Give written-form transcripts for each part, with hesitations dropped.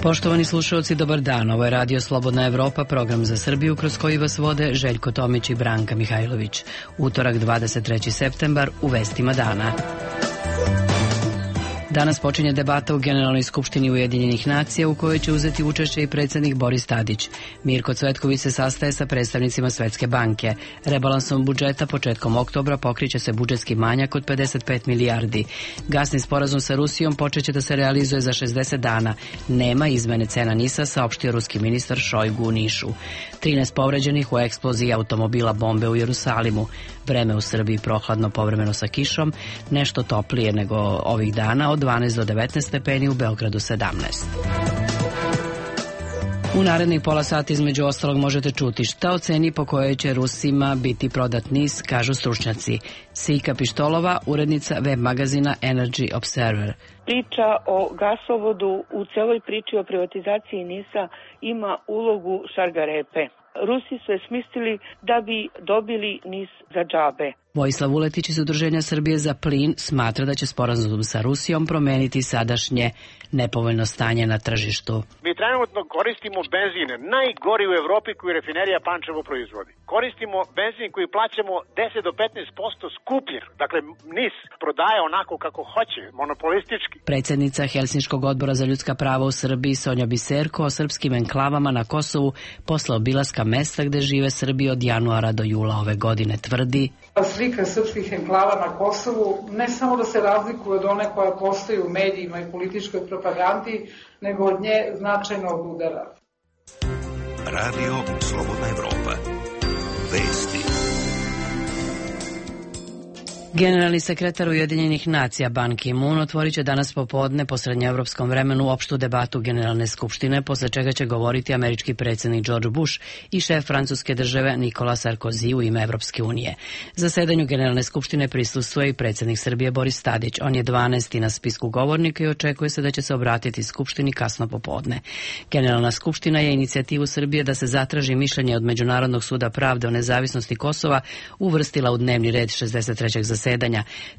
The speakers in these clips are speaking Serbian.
Poštovani slušalci, dobar dan. Ovo je Radio Slobodna Evropa, program za Srbiju kroz koji vas vode Željko Tomić i Branka Mihajlović. Utorak 23. septembar u vestima dana. Danas počinje debata u Generalnoj skupštini Ujedinjenih nacija u kojoj će uzeti učešće i predsjednik Boris Tadić. Mirko Cvetković se sastaje sa predstavnicima Svetske banke. Rebalansom budžeta početkom oktobra pokriće se budžetski manjak od 55 milijardi. Gasni sporazum sa Rusijom počeće da se realizuje za 60 dana. Nema izmene cena NIS-a, saopštio ruski ministar Šojgu u Nišu. 13 povređenih u eksploziji automobila bombe u Jerusalimu. Vreme u Srbiji prohladno, povremeno sa kišom, nešto toplije nego ovih dana, od 12 do 19 stepeni, u Beogradu 17. U narednih pola sata između ostalog možete čuti šta o ceni po kojoj će Rusima biti prodat NIS, kažu stručnjaci. Sika Pištolova, urednica web magazina Energy Observer. Priča o gasovodu u celoj priči o privatizaciji NIS-a ima ulogu šargarepe. Rusi su je smislili da bi dobili NIS za džabe. Vojislav Vuletić iz Udruženja Srbije za plin smatra da će sporazum sa Rusijom promeniti sadašnje nepovoljno stanje na tržištu. Mi trenutno koristimo benzin, najgori u Evropi koji rafinerija Pančevo proizvodi. Koristimo benzin koji plaćamo 10 do 15% skuplje. Dakle, NIS prodaje onako kako hoće, monopolistički. Predsjednica Helsinškog odbora za ljudska prava u Srbiji Sonja Biserko o srpskim enklavama na Kosovu posle obilaska mesta gde žive Srbi od januara do jula ove godine tvrdi: slika srpskih enklava na Kosovu ne samo da se razlikuje od one koja postoji u medijima i političkoj propagandi, nego od nje značajno odudara. Radio Slobodna Evropa. Vesti. Generalni sekretar Ujedinjenih nacija Ban Ki-moon otvorit će danas popodne po srednjoevropskom vremenu opštu debatu Generalne skupštine, posle čega će govoriti američki predsjednik George Bush i šef francuske države Nicolas Sarkozy u ime Evropske unije. Zasedanju Generalne skupštine prisustvuje i predsjednik Srbije Boris Tadić. On je 12. na spisku govornika i očekuje se da će se obratiti skupštini kasno popodne. Generalna skupština je inicijativu Srbije da se zatraži mišljenje od Međunarodnog suda pravde o nezavisnosti Kosova uvrstila u dnevni red 63. zasedanja.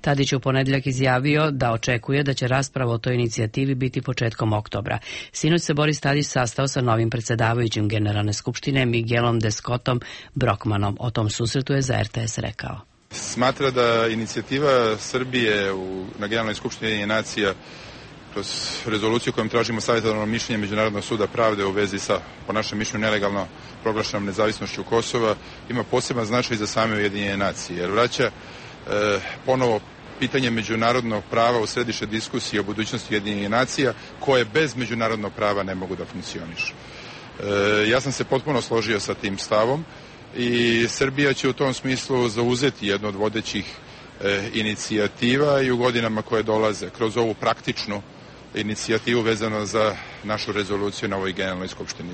Tadić je u ponedeljak izjavio da očekuje da će rasprava o toj inicijativi biti početkom oktobra. Sinoć se Boris Tadić sastao sa novim predsjedavajućim Generalne skupštine Miguelom de Scottom Brockmanom. O tom susretu je za RTS rekao: Smatra da inicijativa Srbije na Generalnoj skupštini Ujedinjenih nacija kroz rezoluciju kojom tražimo savjetodavno mišljenje Međunarodnog suda pravde u vezi sa, po našem mišljenju, nelegalno proglašenom nezavisnošću Kosova ima poseban značaj za same Ujedinjene nacije, jer vraća ponovo pitanje međunarodnog prava u središte diskusije o budućnosti Ujedinjenih nacija, koje bez međunarodnog prava ne mogu da funkcionišu. Ja sam se potpuno složio sa tim stavom i Srbija će u tom smislu zauzeti jednu od vodećih inicijativa i u godinama koje dolaze kroz ovu praktičnu inicijativu vezano za našu rezoluciju na ovoj Generalnoj skupštini.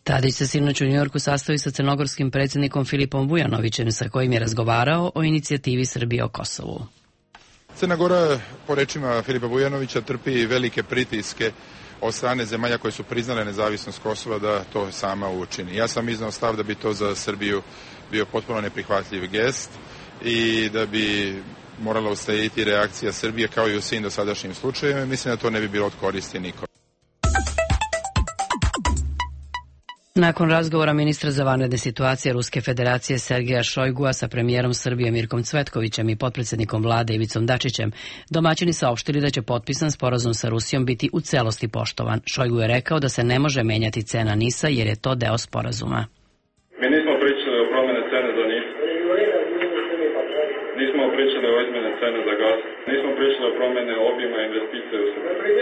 Tadić se sinoć u Njujorku sastoji sa crnogorskim predsjednikom Filipom Vujanovićem, sa kojim je razgovarao o inicijativi Srbije o Kosovu. Crna Gora, po rečima Filipa Vujanovića, trpi velike pritiske od strane zemalja koje su priznale nezavisnost Kosova da to sama učini. Ja sam iznao stav da bi to za Srbiju bio potpuno neprihvatljiv gest i da bi morala uslediti reakcija Srbije kao i u svim dosadašnjim slučajevima. Mislim da to ne bi bilo od koristi nikom. Nakon razgovora ministra za vanredne situacije Ruske federacije Sergeja Šojgua sa premijerom Srbije Mirkom Cvetkovićem i potpredsjednikom vlade Ivicom Dačićem, domaćini saopštili da će potpisan sporazum sa Rusijom biti u celosti poštovan. Šojgu je rekao da se ne može menjati cena NIS-a jer je to deo sporazuma. Mi nismo pričali o promjene cene za NIS. Nismo pričali o izmjene cene za gas. Nismo pričali o promjene obima investicije u Srbiji.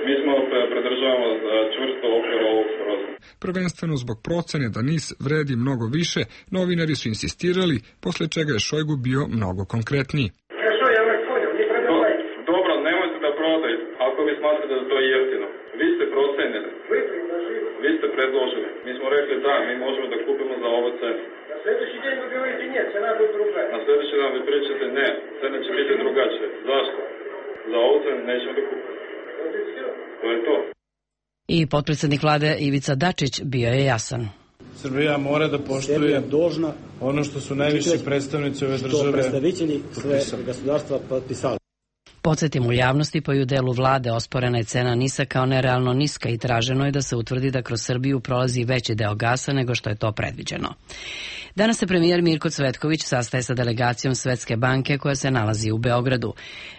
Mi smo pridržavamo čvrsto okvir ovog sporazuma. Prvenstveno zbog procene da NIS vredi mnogo više, novinari su insistirali, posle čega je Šojgu bio mnogo konkretniji. Dobro, nemojte da prodajte, ako vi smatrate da to je jeftino. Vi ste procenili. Vi ste predložili. Mi smo rekli da, mi možemo da kupimo za ovu cenu. Na sljedeći dan vi govorite ne, cena bude druga. Na sljedeći dan vi pričate ne, cena će biti drugačija. Zašto? Za ovu cenu nećemo da kupimo. To je to. I potpredsjednik vlade Ivica Dačić bio je jasan. Srbija mora da poštuje ono što su najviši predstavnici ove države potpisali. Podsjetim u javnosti, pa i u delu vlade osporena je cena NIS-a kao nerealno niska i traženo je da se utvrdi da kroz Srbiju prolazi veći deo gasa nego što je to predviđeno. Danas se premijer Mirko Cvetković sastaje sa delegacijom Svetske banke koja se nalazi u Beogradu.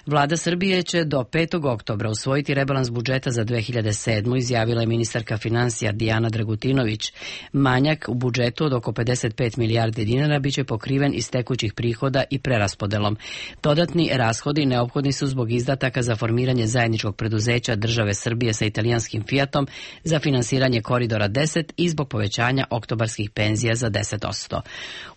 Vlada Srbije će do 5. oktobra usvojiti rebalans budžeta za 2007. izjavila je ministarka finansija Dijana Dragutinović. Manjak u budžetu od oko 55 milijardi dinara biće pokriven iz tekućih prihoda i preraspodelom. Dodatni rashodi neophodni su zbog izdataka za formiranje zajedničkog preduzeća države Srbije sa italijanskim Fiatom za finansiranje Koridora 10 i zbog povećanja oktobarskih penzija za 10%.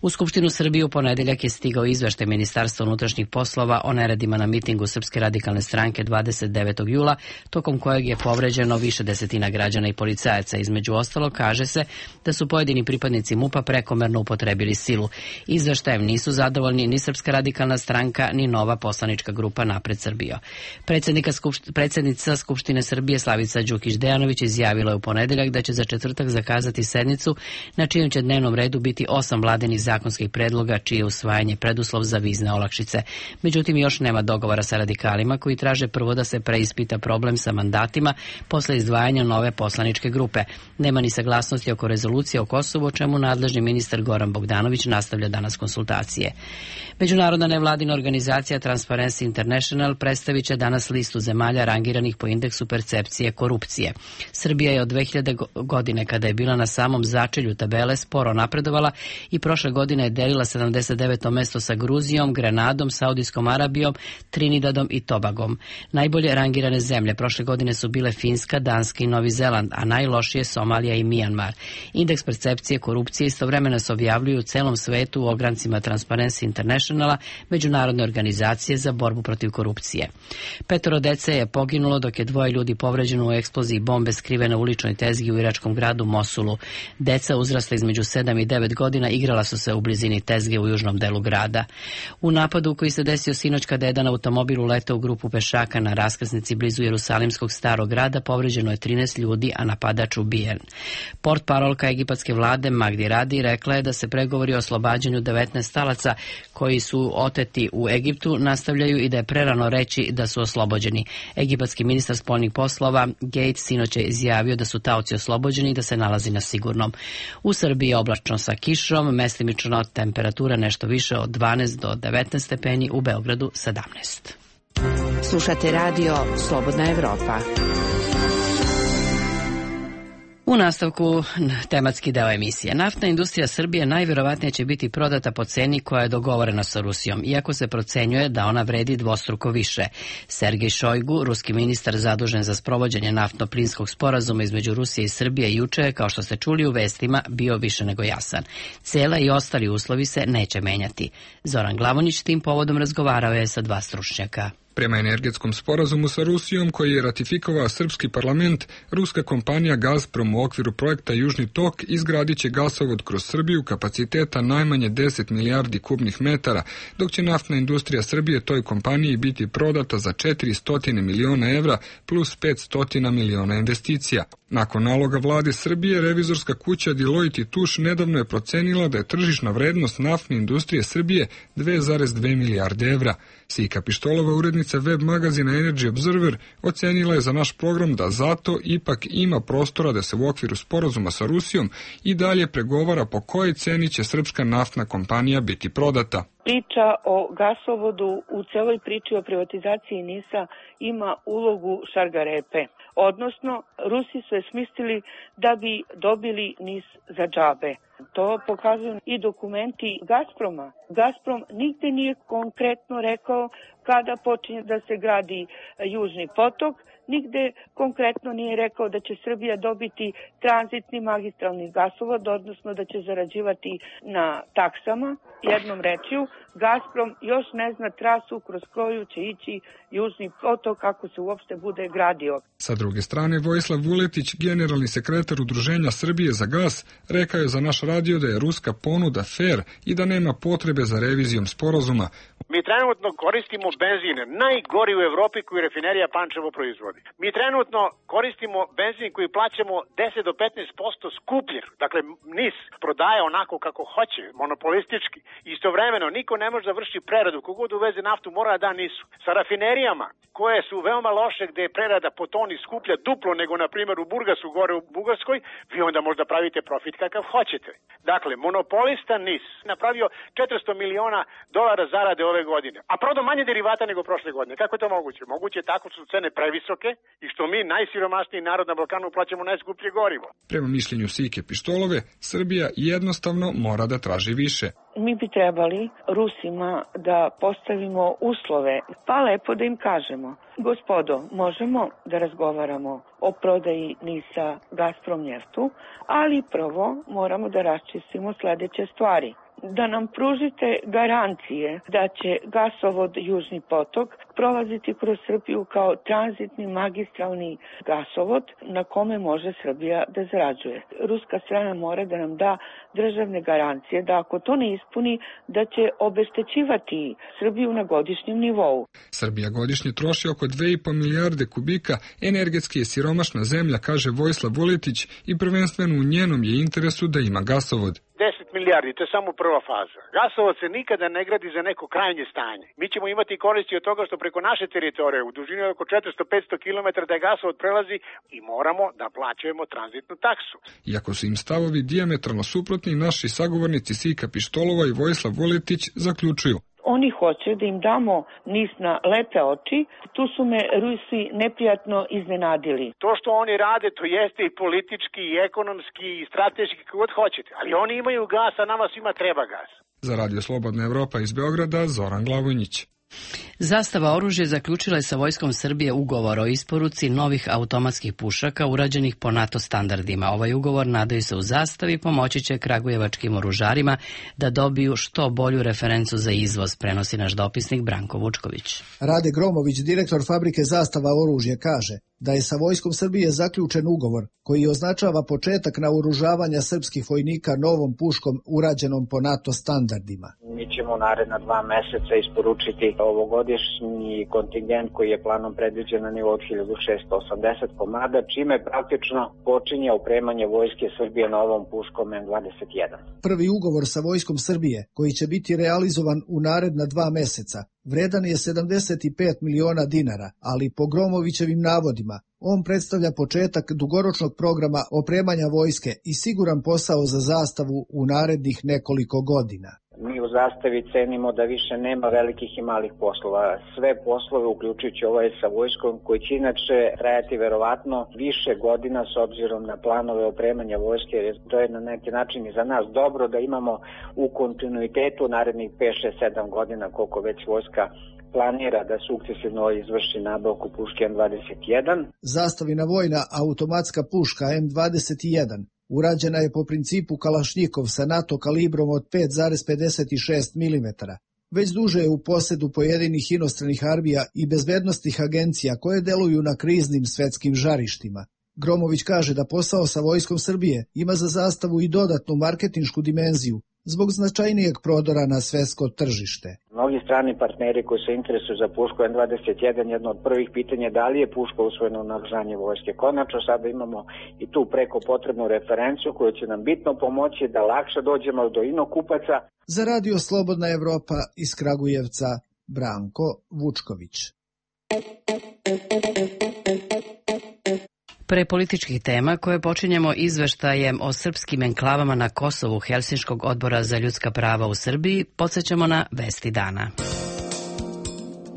U Skupštinu Srbije u ponedeljak je stigao izveštaj Ministarstva unutrašnjih poslova o neredima na mitingu Srpske radikalne stranke 29. jula, tokom kojeg je povređeno više desetina građana i policajaca. Između ostalog, kaže se da su pojedini pripadnici MUP-a prekomerno upotrebili silu. Izveštajem nisu zadovoljni ni Srpska radikalna stranka, ni nova poslanička grupa Napred Srbija. Predsednica Skupštine Srbije Slavica Đukić-Dejanović izjavila je u ponedeljak da će za četvrtak zakazati sednicu na čijem će dnevnom redu biti 8 vladinih zakonskih predloga čije je usvajanje preduslov za vizne olakšice. Međutim, još nema dogovora sa radikalima koji traže prvo da se preispita problem sa mandatima posle izdvajanja nove poslaničke grupe. Nema ni saglasnosti oko rezolucije o Kosovu, o čemu nadležni ministar Goran Bogdanović nastavlja danas konsultacije. Međunarodna nevladina organizacija Transparency International predstavit će danas listu zemalja rangiranih po indeksu percepcije korupcije. Srbija je od 2000. godine, kada je bila na samom začelju tabele, sporo napredovala i prošle godine je delila 79. mesto sa Gruzijom, Grenadom, Saudijskom Arabijom, Trinidadom i Tobagom. Najbolje rangirane zemlje prošle godine su bile Finska, Danska i Novi Zeland, a najlošije Somalija i Mijanmar. Indeks percepcije korupcije istovremeno se objavljuju u celom svetu u ograncima Transparency Internationala, međunarodne organizacije za borbu protiv korupcije. 5 dece je poginulo, dok je 2 ljudi povređeno u eksploziji bombe skrivene u uličnoj tezgi u iračkom gradu Mosulu. Deca uzrasla između 7 i 9 godina igrala su se u blizini tezge u južnom delu grada. U napadu koji se desio sinoć kada je jedan automobil uleteo u grupu pešaka na raskrsnici blizu Jerusalimskog starog grada, povređeno je 13 ljudi, a napadač ubijen. Portparolka egipatske vlade Magdi Radi rekla je da se pregovori o oslobađanju 19 talaca koji su oteti u Egiptu nastavljaju i da je prerano reći da su oslobođeni. Egipatski ministar spoljnih poslova Gates sinoć je izjavio da su taoci oslobođeni i da se nalazi na sigurnom. U Srbiji je oblačno sa kišom, mestimično temperatura nešto više od 12 do 19 stepeni, u Beogradu 17. Slušate radio Slobodna Evropa. U nastavku tematski deo emisije. Naftna industrija Srbije najvjerovatnije će biti prodata po ceni koja je dogovorena sa Rusijom, iako se procenjuje da ona vredi dvostruko više. Sergej Šojgu, ruski ministar zadužen za sprovođenje naftno-plinskog sporazuma između Rusije i Srbije, juče je, kao što ste čuli u vestima, bio više nego jasan. Cela i ostali uslovi se neće menjati. Zoran Glavonjić tim povodom razgovarao je sa 2 stručnjaka. Prema energetskom sporazumu sa Rusijom koji je ratifikovao srpski parlament, ruska kompanija Gazprom u okviru projekta Južni tok izgradit će gasovod kroz Srbiju kapaciteta najmanje 10 milijardi kubnih metara, dok će naftna industrija Srbije toj kompaniji biti prodata za 400 miliona evra plus 500 miliona investicija. Nakon naloga vlade Srbije, revizorska kuća Deloitte & Touche nedavno je procenila da je tržišna vrednost naftne industrije Srbije 2,2 milijarde evra. Sika Pištolova, urednica web magazina Energy Observer, ocenila je za naš program da zato ipak ima prostora da se u okviru sporazuma sa Rusijom i dalje pregovara po kojoj ceni će srpska naftna kompanija biti prodata. Priča o gasovodu u celoj priči o privatizaciji NIS-a ima ulogu šargarepe. Odnosno, Rusi su je smislili da bi dobili NIS za džabe. To pokazuju i dokumenti Gazproma. Gazprom nigde nije konkretno rekao kada počinje da se gradi Južni potok, nigde konkretno nije rekao da će Srbija dobiti tranzitni magistralni gasovod, odnosno da će zarađivati na taksama. Jednom rečju, Gazprom još ne zna trasu kroz koju će ići Južni potok kako se uopšte bude gradio. Sa druge strane, Vojislav Vuletić, generalni sekretar Udruženja Srbije za gas, rekao je za naš radio da je ruska ponuda fer i da nema potrebe za revizijom sporazuma. Mi trenutno koristimo benzin, najgori u Evropi koji rafinerija Pančevo proizvodi. proizvodi. Mi trenutno koristimo benzin koji plaćamo 10 do 15% skuplje. Dakle, NIS prodaje onako kako hoće, monopolistički. Istovremeno, niko ne može da vrši preradu. Kogod uveze naftu mora da da NIS-u. Sa rafinerijama, koje su veoma loše, gde je prerada po toni skuplja duplo nego, na primjer, u Burgasu, gore u Bugarskoj, vi onda možda pravite profit kakav hoćete. Dakle, monopolista NIS napravio $400 miliona zarade ove godine, a prodao manje derivata nego prošle godine. Kako je to moguće? Moguće je tako što su cene previsoke i što mi, najsiromašniji narod na Balkanu, plaćamo najskuplje gorivo. Prema mišljenju Sike Pištolove, Srbija jednostavno mora da traži više. Mi bi trebali Rusima da postavimo uslove, pa lepo da im kažemo: gospodo, možemo da razgovaramo o prodaji NIS-a Gazprom Njeftu, ali prvo moramo da raščistimo sledeće stvari. Da nam pružite garancije da će gasovod Južni potok prolaziti kroz Srbiju kao tranzitni magistralni gasovod na kome može Srbija da zarađuje. Ruska strana mora da nam da državne garancije da ako to ne ispuni, da će obeštećivati Srbiju na godišnjem nivou. Srbija godišnje troši oko 2,5 milijarde kubika, energetski je siromašna zemlja, kaže Vojislav Vuletić, i prvenstveno u njenom je interesu da ima gasovod. 10 milijardi, to je samo prva faza. Gasovod se nikada ne gradi za neko krajnje stanje. Mi ćemo imati koristi od toga što preko naše teritorije u dužini oko 400-500 km da gasovod prelazi i moramo da plaćujemo tranzitnu taksu. Iako su im stavovi dijametralno suprotni, naši sagovornici Sika Pištolova i Vojislav Vuletić zaključuju: oni hoće da im damo NIS na lepe oči, tu su me Rusi neprijatno iznenadili. To što oni rade, to jeste i politički, i ekonomski, i strateški, kako god hoćete, ali oni imaju gas, a nama svima treba gas. Za Radio Slobodna Evropa iz Beograda, Zoran Glavonjić. Zastava oružje zaključila je sa Vojskom Srbije ugovor o isporuci novih automatskih pušaka urađenih po NATO standardima. Ovaj ugovor, nadaju se u Zastavi, pomoći će kragujevačkim oružarima da dobiju što bolju referencu za izvoz, prenosi naš dopisnik Branko Vučković. Rade Gromović, direktor fabrike Zastava oružje, kaže da je sa Vojskom Srbije zaključen ugovor koji označava početak naoružavanja srpskih vojnika novom puškom urađenom po NATO standardima. Mi ćemo naredna 2 meseca isporučiti ovogodišnji kontingent koji je planom predviđen na nivou 1680 komada, čime praktično počinje opremanje Vojske Srbije novom puškom M21. Prvi ugovor sa Vojskom Srbije, koji će biti realizovan u naredna 2 meseca, vredan je 75 miliona dinara, ali po Gromovićevim navodima, on predstavlja početak dugoročnog programa opremanja vojske i siguran posao za Zastavu u narednih nekoliko godina. Mi u Zastavi cenimo da više nema velikih i malih poslova. Sve poslove, uključujući ovaj sa vojskom, koji će inače trajati verovatno više godina s obzirom na planove opremanja vojske, jer to je na neki način i za nas dobro da imamo u kontinuitetu narednih 5, 6, 7 godina koliko već vojska planira da sukcesivno izvrši nabavku puške M21. Zastavina vojna automatska puška M21 urađena je po principu Kalašnjikov sa NATO kalibrom od 5,56 mm. Već duže je u posedu pojedinih inostranih armija i bezbednostnih agencija koje deluju na kriznim svetskim žarištima. Gromović kaže da posao sa Vojskom Srbije ima za Zastavu i dodatnu marketinšku dimenziju zbog značajnijeg prodora na svetsko tržište. Mnogi strani partneri koji se interesuju za pušku M21, jedno od prvih pitanja je da li je puška usvojena u naoružanje vojske. Konačno sada imamo i tu preko potrebnu referencu koju će nam bitno pomoći da lakše dođemo do inokupaca. Za Radio Slobodna Evropa iz Kragujevca, Branko Vučković. Pre političkih tema koje počinjemo izveštajem o srpskim enklavama na Kosovu Helsinškog odbora za ljudska prava u Srbiji, podsjećamo na vesti dana.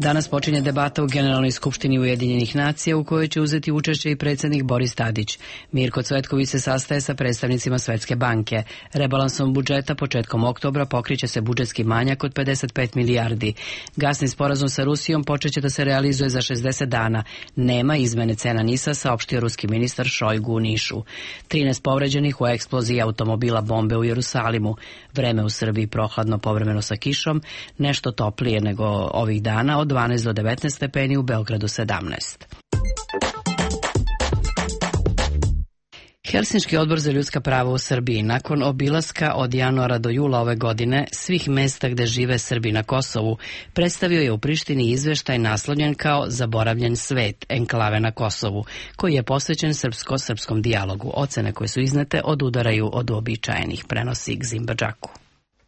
Danas počinje debata u Generalnoj skupštini Ujedinjenih nacija u kojoj će uzeti učešće i predsjednik Boris Tadić. Mirko Cvetković se sastaje sa predstavnicima Svetske banke. Rebalansom budžeta početkom oktobra pokriće se budžetski manjak od 55 milijardi. Gasni sporazum sa Rusijom počeće da se realizuje za 60 dana. Nema izmene cena NIS-a, saopštio ruski ministar Šojgu u Nišu. 13 povređenih u eksploziji automobila bombe u Jerusalimu. Vreme u Srbiji prohladno, povremeno sa kišom, nešto toplije nego ovih dana, od 12 do 19 stepeni, u Beogradu 17. Helsinški odbor za ljudska prava u Srbiji nakon obilaska od januara do jula ove godine svih mesta gde žive Srbi na Kosovu predstavio je u Prištini izveštaj naslovljen kao Zaboravljen svet, enklave na Kosovu, koji je posvećen srpsko-srpskom dijalogu. Ocene koje su iznete odudaraju od uobičajenih, prenosi Gzimba Džaku.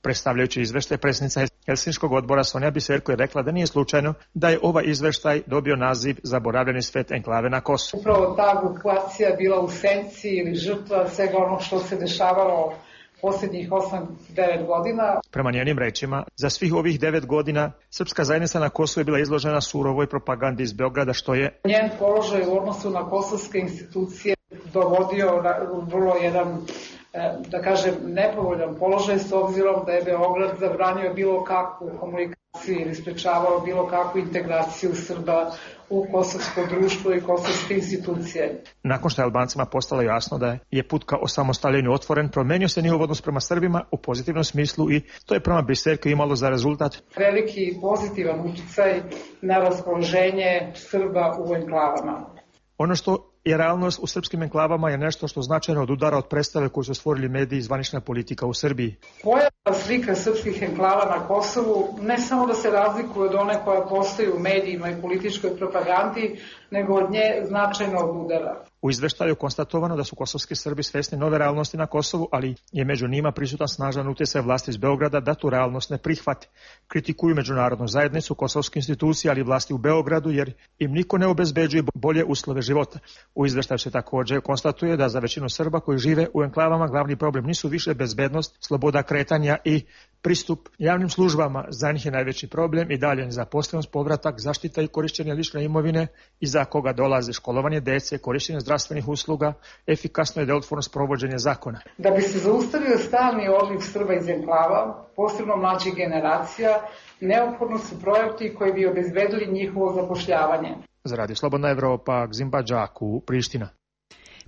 Predstavljajući izveštaj, predsjednica Helsinškog odbora Sonja Biserko je rekla da nije slučajno da je ovaj izveštaj dobio naziv Zaboravljeni svet, enklave na Kosovu. Upravo ta grupacija bila u senci ili žrtva svega ono što se dešavalo posljednjih 8-9 godina. Prema njenim rečima, za svih ovih 9 godina srpska zajednica na Kosovu je bila izložena surovoj propagandi iz Beograda, što je njen položaj u odnosu na kosovske institucije dovodio vrlo jedan, da kažem, nepovoljan položaj, s obzirom da je Beograd zabranio bilo kakvu komunikaciju ili sprečavao bilo kakvu integraciju Srba u kosovsko društvo i kosovske institucije. Nakon što je Albancima postalo jasno da je put ka osamostaljenju otvoren, promenio se njihov odnos prema Srbima u pozitivnom smislu i to je prema Biserko imalo za rezultat veliki pozitivan uticaj na raspoloženje Srba u enklavama. Ono što je realnost u srpskim enklavama je nešto što značajno odudara od predstave koju su stvorili mediji i zvanična politika u Srbiji. Pojava slika srpskih enklava na Kosovu ne samo da se razlikuje od one koja postoji u medijima i političkoj propagandi, nego od nje značajno odudara. U izveštaju je konstatovano da su kosovski Srbi svesni nove realnosti na Kosovu, ali je među njima prisutan snažan utjecaj vlasti iz Beograda da tu realnost ne prihvate. Kritikuju međunarodnu zajednicu, kosovske institucije, ali i vlasti u Beogradu, jer im niko ne obezbeđuje bolje uslove života. U izveštaju se također konstatuje da za većinu Srba koji žive u enklavama glavni problem nisu više bezbednost, sloboda kretanja i pristup javnim službama. Za njih je najveći problem i dalje nezaposlenost, povratak, zaštita i korišćenje lične imovine iza koga dolaze školovanje dece, korišćenje zdravstvenih usluga, efikasno i delotvorno sprovođenje zakona. Da bi se zaustavio stalni odliv Srba iz enklava, posebno mlađih generacija, neophodno su projekti koji bi obezbedili njihovo zapošljavanje. Za Radio Slobodna Evropa, Gzimba Džaku, Priština.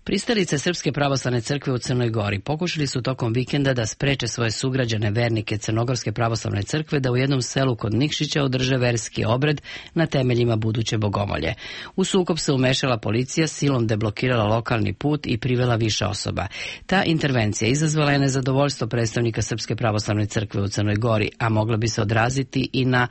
Pristalice Srpske pravoslavne crkve u Crnoj Gori pokušali su tokom vikenda da spreče svoje sugrađane vernike Crnogorske pravoslavne crkve da u jednom selu kod Nikšića održe verski obred na temeljima buduće bogomolje. U sukob se umešala policija, silom deblokirala lokalni put i privela više osoba. Ta intervencija izazvala je nezadovoljstvo predstavnika Srpske pravoslavne crkve u Crnoj Gori, a mogla bi se odraziti i na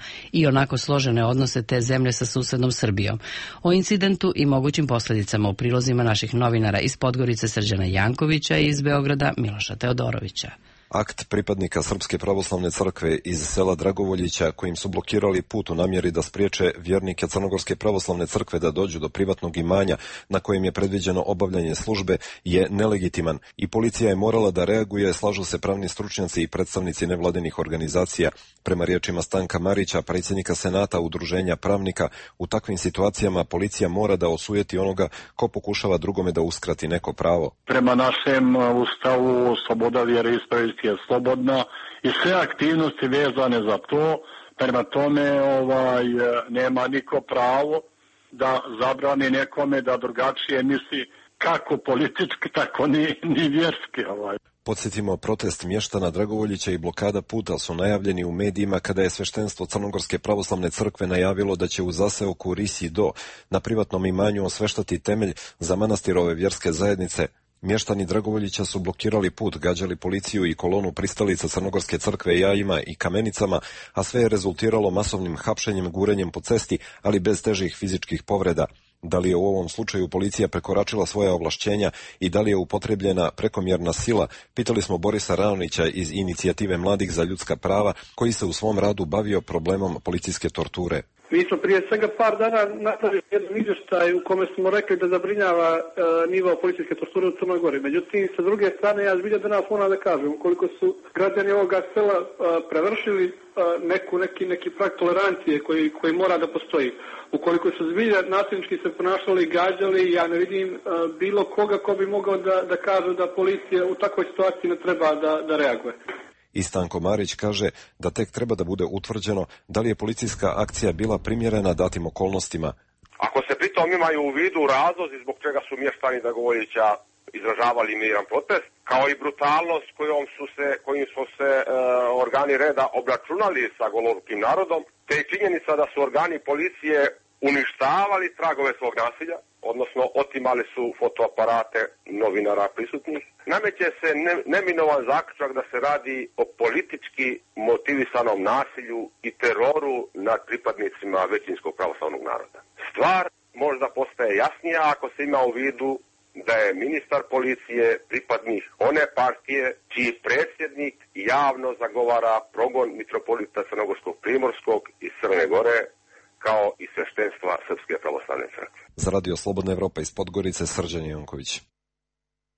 onako složene odnose te zemlje sa susednom Srbijom. O incidentu i mogućim posljedicama u prilozima naših novinara iz Podgorice Srđana Jankovića i iz Beograda Miloša Teodorovića. Akt pripadnika Srpske pravoslavne crkve iz sela Dragovoljića kojim su blokirali put u namjeri da spriječe vjernike Crnogorske pravoslavne crkve da dođu do privatnog imanja na kojem je predviđeno obavljanje službe je nelegitiman i policija je morala da reaguje, slažu se pravni stručnjaci i predstavnici nevladinih organizacija. Prema riječima Stanka Marića, predsjednika Senata Udruženja pravnika, u takvim situacijama policija mora da osujeti onoga ko pokušava drugome da uskrati neko pravo. Prema našem ustavu sloboda vjeroispovesti je slobodna i sve aktivnosti vezane za to, prema tome nema niko pravo da zabrani nekome da drugačije misli kako politički, tako ni vjerski. Podsjetimo, protest mještana Dragovoljića i blokada puta su najavljeni u medijima kada je sveštenstvo Crnogorske pravoslavne crkve najavilo da će u zaseoku Risi Do na privatnom imanju osveštati temelj za manastirove vjerske zajednice. Mještani Dragovoljića su blokirali put, gađali policiju i kolonu pristalica Crnogorske crkve jajima i kamenicama, a sve je rezultiralo masovnim hapšenjem, gurenjem po cesti, ali bez težih fizičkih povreda. Da li je u ovom slučaju policija prekoračila svoja ovlašćenja i da li je upotrebljena prekomjerna sila, pitali smo Borisa Raonića iz Inicijative mladih za ljudska prava, koji se u svom radu bavio problemom policijske torture. Mi smo prije svega par dana napravili jedan izvještaj u kome smo rekli da zabrinjava nivo policijske torture u Crnoj Gori. Međutim, sa druge strane, ja zbilja danas moram da kažem, ukoliko su građani ovoga sela prevršili neki prag tolerancije koji mora da postoji. Ukoliko su zbilja nasilnički se ponašali, gađali, ja ne vidim bilo koga ko bi mogao da kaže da policija u takvoj situaciji ne treba da reaguje. I Stanko Marić kaže da tek treba da bude utvrđeno da li je policijska akcija bila primjerena datim okolnostima. Ako se pritom imaju u vidu razlozi zbog čega su mještani Dragovoljića izražavali miran protest, kao i brutalnost kojim su se organi reda obračunali sa golorukim narodom, te i činjenica da su organi policije uništavali tragove svog nasilja, odnosno otimali su fotoaparate novinara prisutnih. Nameće se neminovan zaključak da se radi o politički motivisanom nasilju i teroru nad pripadnicima većinskog pravoslavnog naroda. Stvar možda postaje jasnija ako se ima u vidu da je ministar policije pripadnik one partije čiji predsjednik javno zagovara progon mitropolita Crnogorskog Primorskog iz Crne Gore kao i sveštenstva Srpske pravoslavne crkve. Za Radio Slobodna Evropa iz Podgorice, Srđan Janković.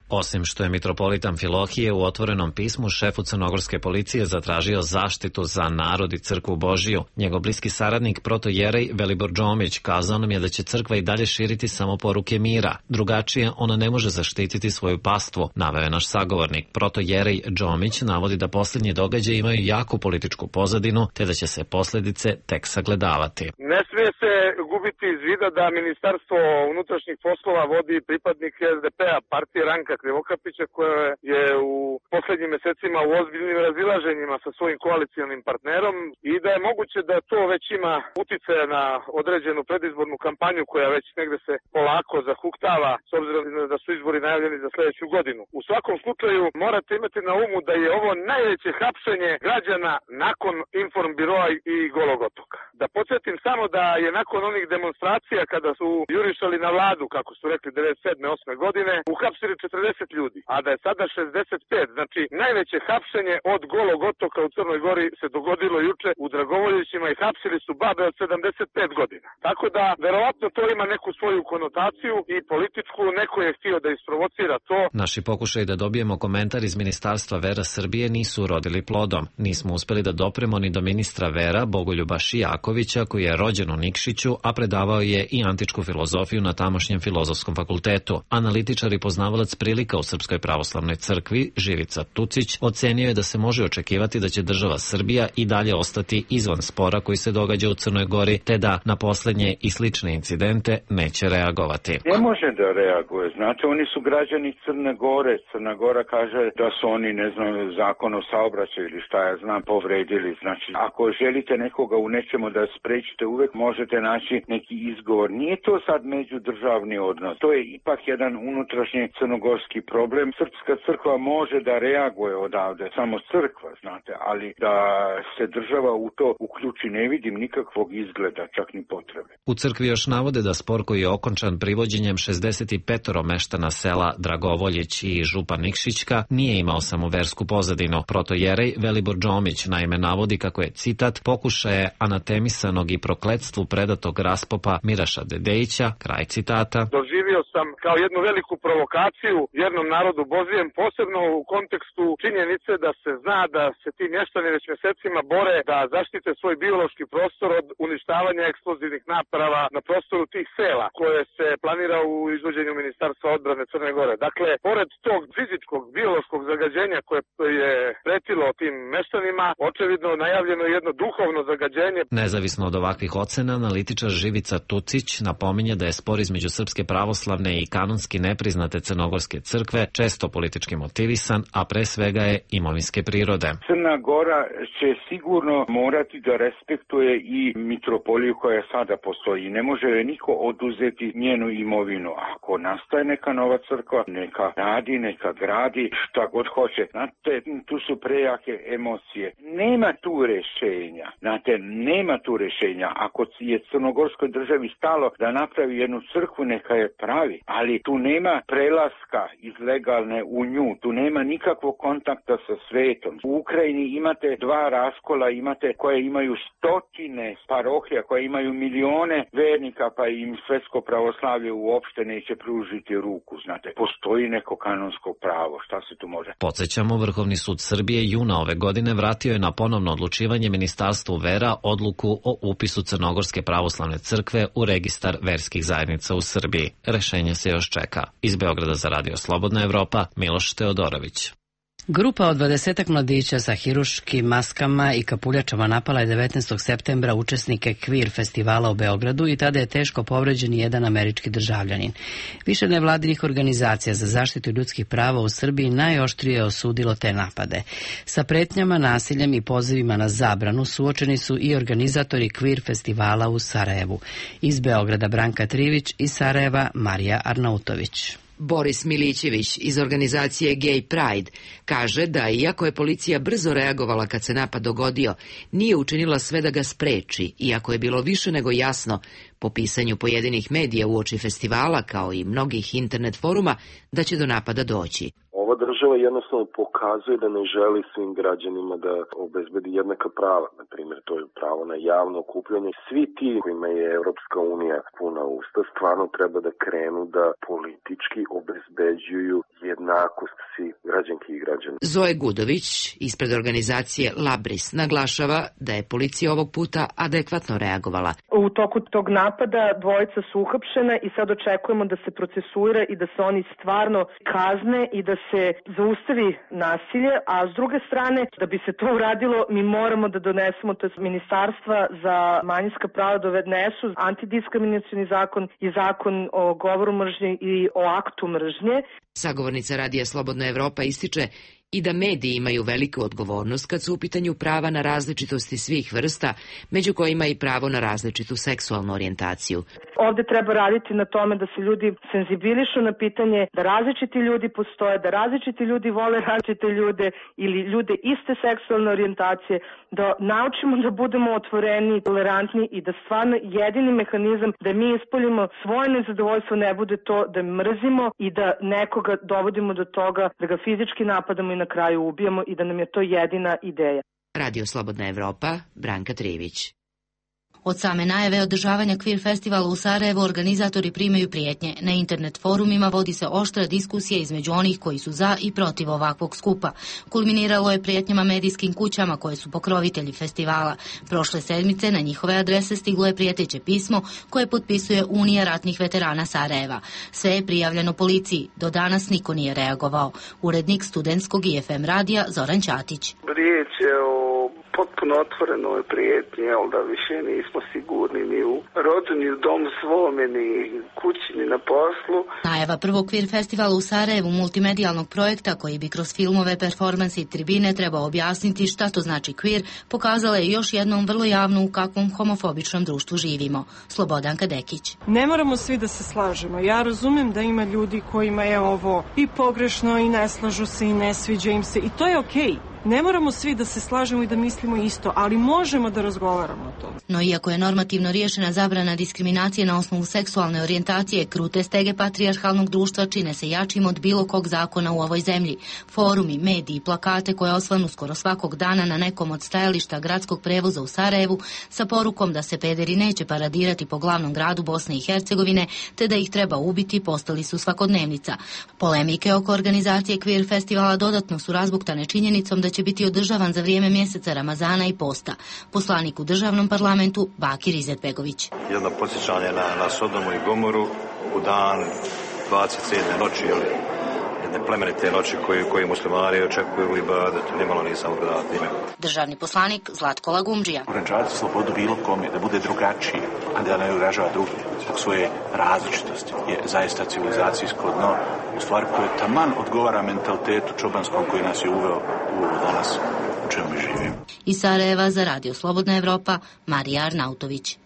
Osim što je mitropolit Amfilohije u otvorenom pismu šefu crnogorske policije zatražio zaštitu za narod i crkvu Božiju, njegov bliski saradnik protojerej Velibor Džomić kazao nam je da će crkva i dalje širiti samo poruke mira. Drugačije ona ne može zaštititi svoju pastvu, naveo je naš sagovornik. Protojerej Džomić navodi da posljednji događaji imaju jaku političku pozadinu, te da će se posljedice tek sagledavati. Ne smije se gubiti iz vida da Ministarstvo unutrašnjih poslova vodi pripadnik SDP-a, partije Ranka Krivokapića, koja je u posljednjim mjesecima u ozbiljnim razilaženjima sa svojim koalicijalnim partnerom i da je moguće da to već ima uticaja na određenu predizbornu kampanju koja već negde se polako zahuktava s obzirom da su izbori najavljeni za sljedeću godinu. U svakom slučaju morate imati na umu da je ovo najveće hapšenje građana nakon Informbiroa i Golog otoka. Da podsjetim samo da je nakon onih demonstracija kada su jurišali na vladu, kako su rekli 97. 8. godine, uhapsili 40 ljudi, a da je sada 65. Znači, najveće hapšenje od Golog otoka u Crnoj Gori se dogodilo juče u Dragovoljićima i hapsili su babe od 75 godina. Tako da, verovatno to ima neku svoju konotaciju i političku, neko je htio da isprovocira to. Naši pokušaj da dobijemo komentar iz Ministarstva vera Srbije nisu urodili plodom. Nismo uspeli da dopremo ni do ministra vera Bogoljuba Šijakovića, koji je rođen u Nikšiću, a predavao je i antičku filozofiju na tamošnjem filozofskom fakultetu. Analitičar i poznavalac prilika u Srpskoj pravoslavnoj crkvi, Živica Tucić, ocenio je da se može očekivati da će država Srbija i dalje ostati izvan spora koji se događa u Crnoj Gori, te da na posljednje i slične incidente neće reagovati. Ne može da reaguje. Znate, oni su građani Crne Gore. Crna Gora kaže da su oni, ne znam, zakon o saobraćaju ili šta ja znam, povredili. Znači, ako želite nekoga u nečemu da sprečite, uvek možete naći neki izgovor. Nije to sad međudržavni odnos. To je ipak jedan unutrašnji crnogorski problem. Srpska crkva može da reaguje odavde, samo crkva, znate, ali da se država u to uključi ne vidim nikakvog izgleda, čak ni potrebe. U crkvi još navode da spor koji je okončan privođenjem 65 meštana sela Dragovoljić i župa Nikšićka nije imao samo versku pozadinu. Protojerej Velibor Džomić naime navodi kako je, citat, pokušaje anatemisanog i prokletstvu predatog raspopa Miraša Dedejića, kraj citata. Doživio sam kao jednu veliku provokaciju jednom narodu Božijem, posebno u kontekstu činjenice da se zna da se ti mještani već mjesecima bore da zaštite svoj biološki prostor od uništavanja eksplozivnih naprava na prostoru tih sela koje se planira u izvođenju Ministarstva odbrane Crne Gore. Dakle, pored tog fizičkog, biološkog zagađenja koje je pretilo tim meštanima, očevidno najavljeno jedno duhovno zagađenje. Nezavisno od ovakvih ocena, analitičar Živica Tucić napominje da je spor između Srpske pravoslavne i kanonski nepriznate Crnogorske crkve često politički motivisan, a pre svega je imovinske prirode. Crna Gora će sigurno morati da respektuje i mitropoliju koja sada postoji. Ne može joj niko oduzeti njenu imovinu. Ako nastaje neka nova crkva, neka radi, neka gradi, šta god hoće. Znate, tu su prejake emocije. Nema tu rešenja. Znate, nema tu rešenja. Ako je Crnogorskoj državi stalo da napravi jednu crkvu, neka je pravi. Ali tu nema prelaska iz legalne u nju. Tu nema nikakvog kontakta sa svetom. U Ukrajini imate dva raskola, imate koje imaju stotine parohija, koje imaju milione vernika, pa im svetsko pravoslavlje uopšte neće pružiti ruku. Znate, postoji neko kanonsko pravo. Šta se tu može? Podsjećamo, Vrhovni sud Srbije juna ove godine vratio je na ponovno odlučivanje Ministarstvu vera odluku o upisu Crnogorske pravoslavne crkve u registar verskih zajednica u Srbiji. Rešenje se još čeka. Iz Beograda za Radio Slobodna Evropa, Miloš Teodorović. Grupa od 20 mladića sa hiruškim maskama i kapuljačama napala je 19. septembra učesnike Queer festivala u Beogradu i tada je teško povređen jedan američki državljanin. Više nevladinih organizacija za zaštitu ljudskih prava u Srbiji najoštrije osudilo te napade. Sa pretnjama, nasiljem i pozivima na zabranu suočeni su i organizatori Queer festivala u Sarajevu. Iz Beograda Branka Trivić, iz Sarajeva Marija Arnautović. Boris Milićević iz organizacije Gay Pride kaže da iako je policija brzo reagovala kad se napad dogodio, nije učinila sve da ga spreči, iako je bilo više nego jasno po pisanju pojedinih medija uoči festivala, kao i mnogih internet foruma, da će do napada doći. Ova država jednostavno pokazuje da ne želi svim građanima da obezbedi jednaka prava. Na primjer, to je pravo na javno okupljanje. Svi ti kojima je Evropska unija puna usta stvarno treba da krenu da politički obezbeđuju jednakost svih građanki i građana. Zoe Gudović ispred organizacije Labris naglašava da je policija ovog puta adekvatno reagovala. U toku tog napada dvojica su uhapšena i sad očekujemo da se procesuira i da se oni stvarno kazne i da se zaustavi nasilje, a s druge strane, da bi se to uradilo, mi moramo da donesemo, to je ministarstva za manjinska prava donesu antidiskriminacioni zakon i zakon o govoru mržnje i o aktu mržnje. Sagovornica Radija Slobodna Evropa ističe i da mediji imaju veliku odgovornost kad su u pitanju prava na različitosti svih vrsta, među kojima i pravo na različitu seksualnu orijentaciju. Ovde treba raditi na tome da se ljudi senzibilišu na pitanje da različiti ljudi postoje, da različiti ljudi vole različite ljude ili ljude iste seksualne orijentacije, da naučimo da budemo otvoreni, tolerantni i da stvarno jedini mehanizam da mi ispoljimo svoje nezadovoljstvo ne bude to da mrzimo i da nekoga dovodimo do toga da ga fizički napadamo i na kraju ubijamo i da nam je to jedina ideja. Radio Slobodna Evropa, Branka Trivić. Od same najave održavanja Queer festivala u Sarajevu organizatori primaju prijetnje. Na internet forumima vodi se oštra diskusija između onih koji su za i protiv ovakvog skupa. Kulminiralo je prijetnjama medijskim kućama koje su pokrovitelji festivala. Prošle sedmice na njihove adrese stiglo je prijeteće pismo koje potpisuje Unija ratnih veterana Sarajeva. Sve je prijavljeno policiji. Do danas niko nije reagovao. Urednik studentskog IFM radija Zoran Ćatić. Riječ je o potpuno otvorenoj prijetnji, ali da više nismo sigurni ni u rodu, ni u domu svome, ni kući, ni na poslu. Najava prvog Queer festivala u Sarajevu, multimedijalnog projekta koji bi kroz filmove, performanse i tribine trebao objasniti šta to znači queer, pokazala je još jednom vrlo javno u kakvom homofobičnom društvu živimo. Slobodanka Dekić. Ne moramo svi da se slažemo. Ja razumem da ima ljudi kojima je ovo i pogrešno i ne slažu se i ne sviđa im se i to je okej. Ne moramo svi da se slažemo i da mislimo isto, ali možemo da razgovaramo o tome. No iako je normativno riješena zabrana diskriminacije na osnovu seksualne orijentacije, krute stege patrijarhalnog društva čine se jačim od bilo kog zakona u ovoj zemlji. Forumi, mediji, plakate koje osvanu skoro svakog dana na nekom od stajališta gradskog prevoza u Sarajevu sa porukom da se pederi neće paradirati po glavnom gradu Bosne i Hercegovine, te da ih treba ubiti, postali su svakodnevnica. Polemike oko organizacije Queer festivala dodatno su razbuktane činjenicom da će biti održavan za vrijeme mjeseca Ramazana i posta. Poslanik u državnom parlamentu Bakir Izetbegović. Jedno podsjećanje na Sodomu i Gomoru u dan 27. noći, jedne plemenite noći koji muslimani očekuju u ibadetu, nimalo nisam ugledao time. Državni poslanik Zlatko Lagumdžija. Ograničavati slobodu bilo kome, da bude drugačiji, a da ne ugražava drugi zbog svoje različitosti je zaista civilizacijsko dno, u stvari koje taman odgovara mentalitetu čobanskom koji nas je uveo u danas u čemu mi živimo. Iz Sarajeva za Radio Slobodna Evropa, Marija Arnautović.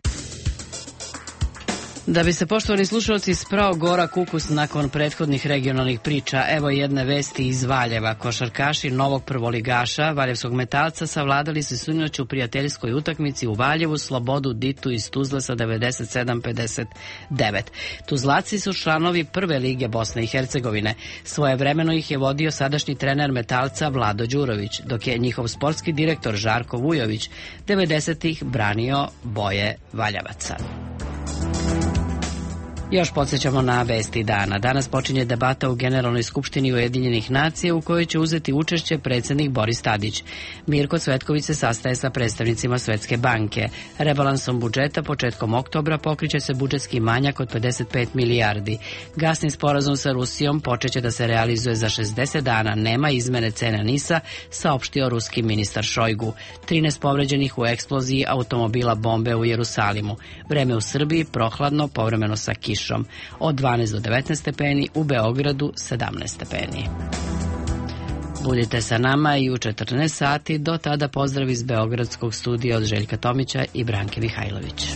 Da bi se, poštovani slušalci, sprao gorak ukus nakon prethodnih regionalnih priča, evo jedne vesti iz Valjeva. Košarkaši novog prvoligaša, valjevskog Metalca, savladali se sinoć u prijateljskoj utakmici u Valjevu Slobodu Ditu iz Tuzle sa 97-59. Tuzlaci su članovi prve lige Bosne i Hercegovine. Svojevremeno ih je vodio sadašnji trener Metalca Vlado Đurović, dok je njihov sportski direktor Žarko Vujović 90-ih branio boje Valjavaca. Još podsjećamo na vesti dana. Danas počinje debata u Generalnoj skupštini Ujedinjenih nacija u kojoj će uzeti učešće predsjednik Boris Tadić. Mirko Cvetković se sastaje sa predstavnicima Svetske banke. Rebalansom budžeta početkom oktobra pokriće se budžetski manjak od 55 milijardi. Gasni sporazum sa Rusijom počeće da se realizuje za 60 dana. Nema izmene cena NIS-a, saopštio ruski ministar Šojgu. 13 povređenih u eksploziji automobila bombe u Jerusalimu. Vreme u Srbiji prohladno, povremeno sa kišom. Od 12 do 19 stepeni, u Beogradu 17 stepeni. Budite sa nama i u 14 sati. Do tada pozdrav iz Beogradskog studija od Željka Tomića i Branke Mihajlović.